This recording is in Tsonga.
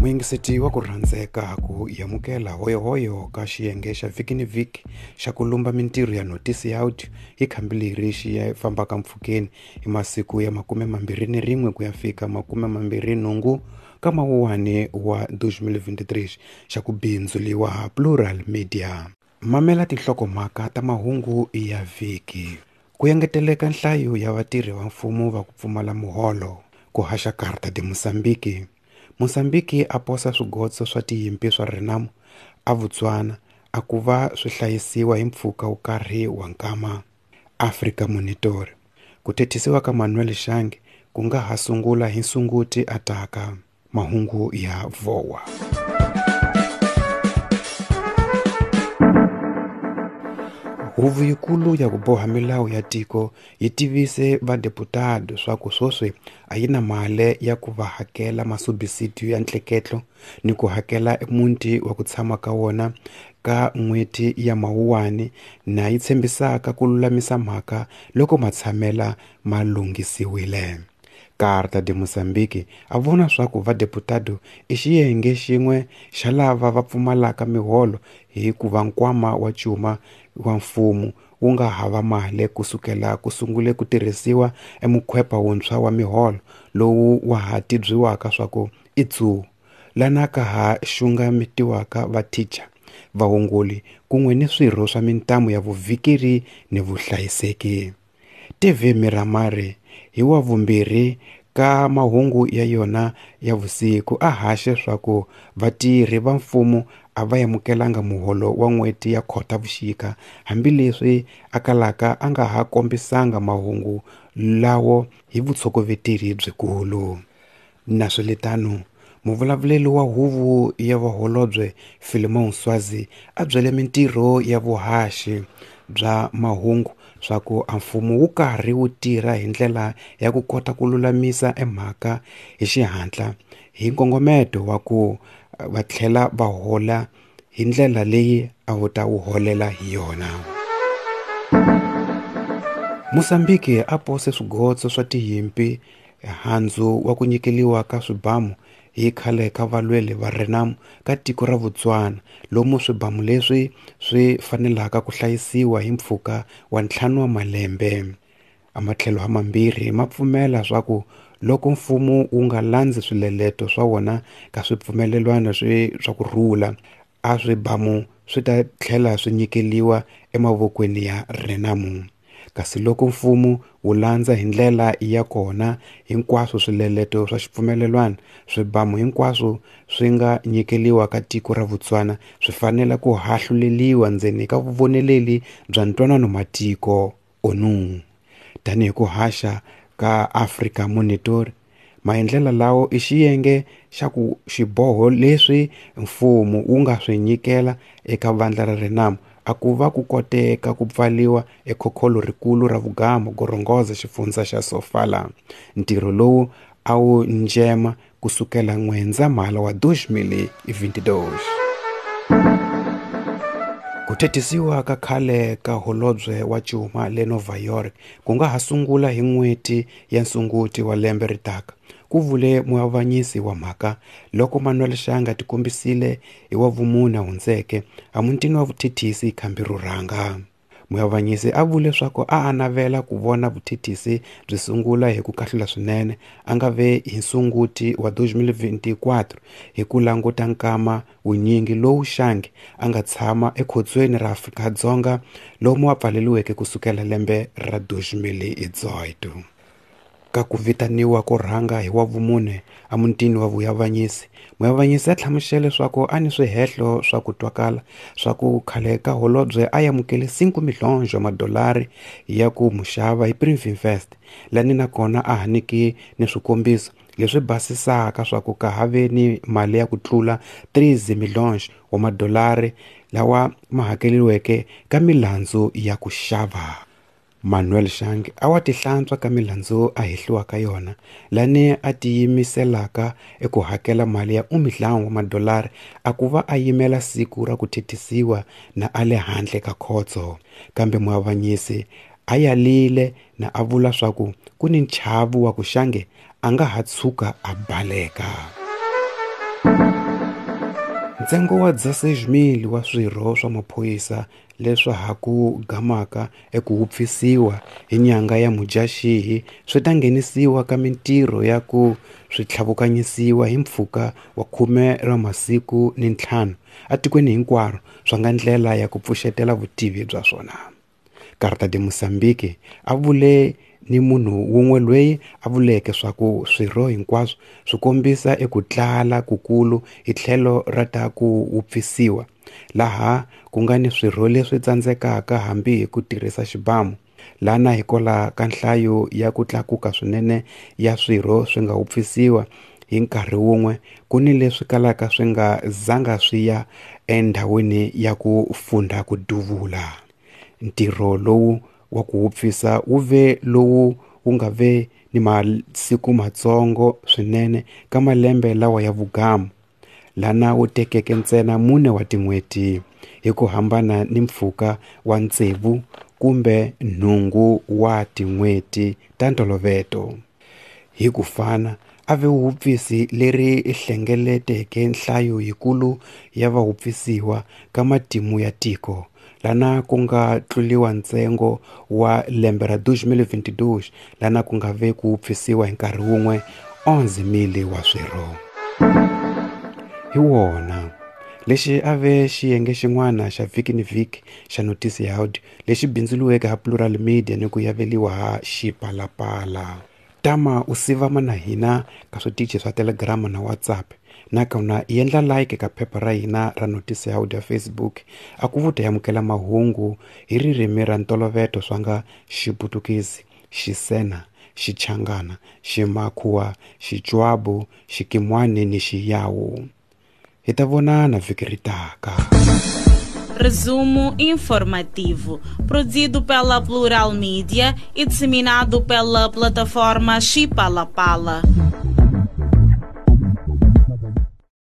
Muyingiseti wa ku rhandzeka ku yamukela hoyohoyo ka xiyenge xa vhiki ni vhiki xa ku lumba mintirho ya notisi ya audio hi khambi leri xi fambaka mpfhukeni hi masiku ya 21 ku ya fika 28 ka mawuwani wa 2023 xa ku bindzuliwa Plural Media. Mamela tinhlokomhaka ta mahungu ya vhiki. Ku engeteleka nhlayo ya vatirhi va mfumo va ku pfumala muholo. Ku haxa Carta de Moçambique. Mozambique a posa swigotso swa tiyimpi swa Renamo a Botswana a ku va swi hlayisiwa hi mpfhuka wo karhi wa nkama. Africa Monitor. Ku thethisiwa ka Manuel Shange ku nga ha sungula hi Sunguti ataka. Mahungu ya VOA. Huvo yikulu ya ku boha milawu ya tiko yi tivise vadeputado swa ku sweswi a yi na mali ya ku va hakela masubisidiyo ya ntleketlo ni ku hakela muti wa ku tshama ka wona ka n'hweti ya Mawuwani na yi tshembisaka ku lulamisa mhaka loko matshamela ma lunghisiwile. Carta de Moçambique a vona swa ku vadeputado i xiyenge xin'we xa lava va pfumalaka miholo hikuva nkwama wa cuma wa mfumo wu nga hava mali kusukela ku sungule ku tirhisiwa emukhwepa wuntshwa wa miholo lowu wa ha tibyiwaka swa ku i tsu lana ka ha xungametiwaka vathicha vahunguli kun'we ni swirho swa mintamu ya vuvhikeri ni vuhlayiseki. TV Miramare hi wa vumbirhi ka mahungu ya yona ya vusiku a haxe swa ku vatirhi va mfumo a va amukelanga muholo wa n'hweti ya Khotavuxika hambileswi a kalaka a nga ha kombisanga mahungu lawo hi vutshokoveteri byikulu. Naswelitano, muvulavuleri wa huvo ya vaholobye Philemon Swazi a byele mintirho ya vuhaxi bya mahungu swa ku a mfumo wu karhi wu tirha hi ndlela ya ku kota ku lulamisa emhaka hi xihatla hi nkongometo wa ku va tlhela va hola hi ndlela leyi a wu ta wu holela hi yona. Mozambique a pose swigotso swa tiyimpi handzu wa ku nyikeliwa ka swibamu hi khale ka valweli va Renamo ka tiko ra Botswana lomu swibamu leswi swi fanelaka ku hlayisiwa hi mpfhuka wa 5 wa malembe. Amatlhelo hamambirhi ma pfumela swa ku loko mfumo wu nga landzi swileleto swa wona ka swipfumelelwano swa ku rhula a swibamu swi ta tlhela swi nyikeliwa emavokweni ya Renamo. Kasi loko mfumo wu landza hi ndlela ya kona hinkwaswo swileleto swa xipfumelelwano swibamu hinkwaswo swi nga nyikeliwa ka tiko ra Botswana swi fanele ku hahluleliwa ndzeni ka vuvoneleli bya ntwanano matiko ONU. Tanihi ku haxa ka Africa Monitor, maendlela lawo i xiyenge xa ku xiboho leswi mfumo wu nga swi nyikela eka vandla ra Renamo a ku va ku koteka ku pfaliwa ekhokholo rikulu ra Vugamo Gorongosa xifundza xa Sofala. Ntirho lowu a wu njema kusukela N'wendzamhala wa 2022. Ku thethisiwa ka khale ka holobye wa cuma le Nova York ku nga ha sungula hi n'hweti ya Nsunguti wa lembe ritaka, ku vule muavanyisi wa mhaka loko Manuel Shange a tikombisile hi wa vumune hundzeke emutini wa vuthethisi khambi ro rhanga. Muavanyisi a vule leswaku a navela ku vona vuthethisi byi sungula hi ku kahlula swinene a nga ve hi Sunguti wa 2024 hi ku languta nkama wunyingi lowu Shange a nga tshama ekhotsweni ra Afrika-Dzonga lomu a pfaleriweke kusukela lembe ra 2018. Ka ku vitaniwa ko rhanga hi wa vumune emutini wa vuavanyisi, muavanyisi a hlamusele leswaku a ni swihehlo swa ku twakala swa ku khale ka holobye a amukele 5 milhonjo wa madolari ya ku muxava hi Privinvest, lani nakona a haniki ni swikombiso leswi basisaka swa ku ka ha ve ni mali ya ku tlula 3 milhonjo wa madolari lawa ma hakeriweke ka milandzu ya ku xava. Manuel Shange a wa tihlantswa ka milandzu a hehliwa ka yona lani a tiyimiselaka eku hakela mali ya 5 wa madolari a ku va a yimela siku ra ku thethisiwa na a le handle ka khotso. Kambe muavanyisi a yalile na a vula swa ku ku ni nchavu wa ku Shange a nga ha tshuka a baleka. Ntsengo wa 16,000 wa swirho swa maphorisa leswa ha ku gamaka eku wupfisiwa hi nyanga ya Mudyaxihi swi ta nghenisiwa ka mitirho ya ku swi tlhavukanyisiwa hi mpfhuka wa 15 wa masiku etikweni hinkwaro swa nga ndlela ya ku pfuxetela vutivi bya swona. Carta de Moçambique a vule ni munhu wun'we loyi a vuleke swa ku swirho hinkwaswo swi kombisa eku tlala kukulu hi tlhelo ra ta ku wupfisiwa, laha ku nga ni swirho leswi tsandzekaka hambi hi ku tirhisa xibamu, lana hikwalaho ka nhlayo ya ku tlakuka swinene ya swirho swi nga wupfisiwa hi nkarhi wun'we ku ni leswi kalaka swi nga zanga swi ya endhawini ya ku funda ku duvula. Ntirho lowu wa ku wupfisa wu ve lowu wu nga ve ni masiku matsongo swinene ka malembe lawa ya vugamu, lana wu tekeke ntsena 4 wa tin'hweti, hi ku hambana ni mpfhuka wa 6 kumbe 8 wa tin'hweti ta ntoloveto. Hi ku fana, a ve wupfisi leri hlengeleteke nhlayo yikulu ya vawupfisiwa ka matimu ya tiko, lana ku nga tluliwa ntsengo wa lembe ra 2022 lana ku nga ve ku wupfisiwa hi nkarhi wun'we 11,000 wa swirho. Hi wona lexi a ve xiyenge xin'wana xa vhiki ni vhiki xa Notisi ya Audio lexi bindzuriweke ha Plural Media ni ku yaveliwa ha Xipalapala. Tama u sivama na hina ka switichi swa Telegram na WhatsApp, nakona i endla like ka phepha ra hina ra Notisi ya Audio ya Facebook a ku vuta yamukela mahungu hi ririmi ra ntoloveto swa nga Xiputukezi, Xisena, Xichangana, Ximakhuwa, Xitswabu, Xikimwani ni Xiyawu. Hi ta vonana vhiki ri taka. Resumo informativo, produzido pela Plural Media e disseminado pela plataforma Xipalapala.